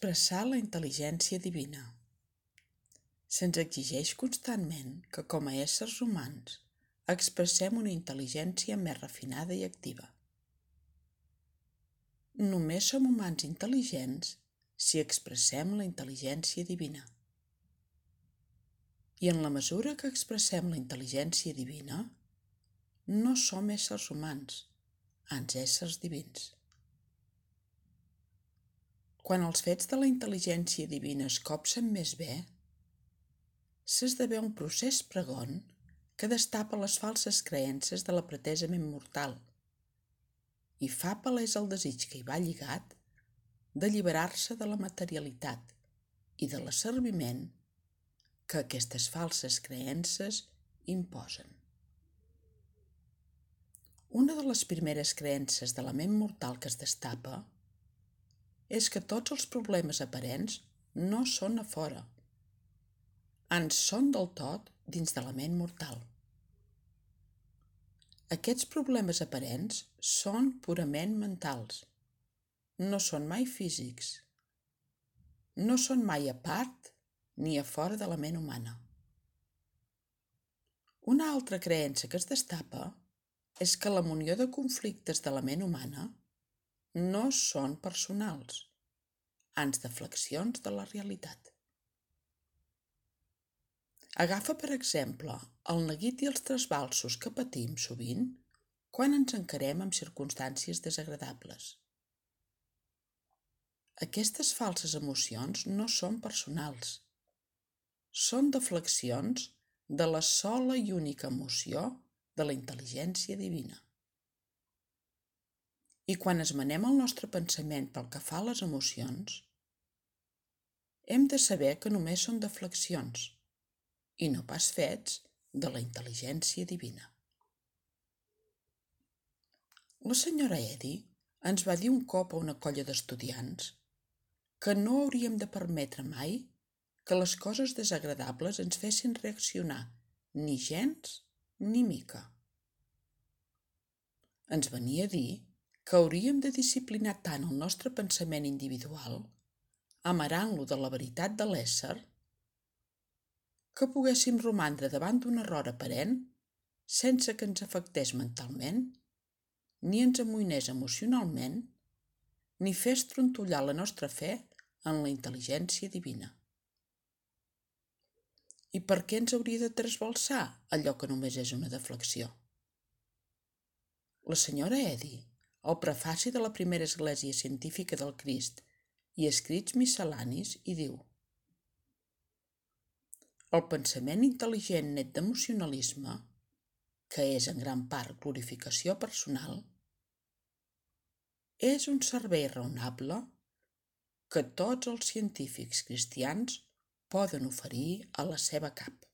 Expressar la intel·ligència divina. Se'ns exigeix constantment que, com a éssers humans, expressem una intel·ligència més refinada i activa. Només som humans intel·ligents si expressem la intel·ligència divina. I en la mesura que expressem la intel·ligència divina, no som éssers humans, ans éssers divins. Quan els fets de la intel·ligència divina es copsen més bé, s'esdevé un procés pregon que destapa les falses creences de la pretesa ment mortal i fa palès el desig que hi va lligat d'alliberar-se de la materialitat i de l'asserviment que aquestes falses creences imposen. Una de les primeres creences de la ment mortal que es destapa és que tots els problemes aparents no són a fora, ans són del tot dins de la ment mortal. Aquests problemes aparents són purament mentals, no són mai físics, no són mai a part ni a fora de la ment humana. Una altra creença que es destapa és que la munió de conflictes de la ment humana no són personals, ans deflexions de la realitat. Agafa, per exemple, el neguit i els trasbalsos que patim sovint quan ens encarem amb circumstàncies desagradables. Aquestes falses emocions no són personals, són deflexions de la sola i única emoció de la intel·ligència divina. I quan esmenem el nostre pensament pel que fa a les emocions, hem de saber que només són deflexions i no pas fets de la intel·ligència divina. La senyora Eddy ens va dir un cop a una colla d'estudiants que no hauríem de permetre mai que les coses desagradables ens fessin reaccionar ni gens ni mica. Ens venia a dir que hauríem de disciplinar tant el nostre pensament individual, amarant-lo de la veritat de l'ésser, que poguéssim romandre davant d'un error aparent sense que ens afectés mentalment, ni ens amoïnés emocionalment, ni fes trontollar la nostra fe en la intel·ligència divina. I per què ens hauria de trasbalsar allò que només és una deflexió? La senyora Eddy, al prefaci de la primera església científica del Crist i escrits miscel·lanis, hi diu: el pensament intel·ligent net d'emocionalisme, que és en gran part glorificació personal, és un servei raonable que tots els científics cristians poden oferir a la seva cap.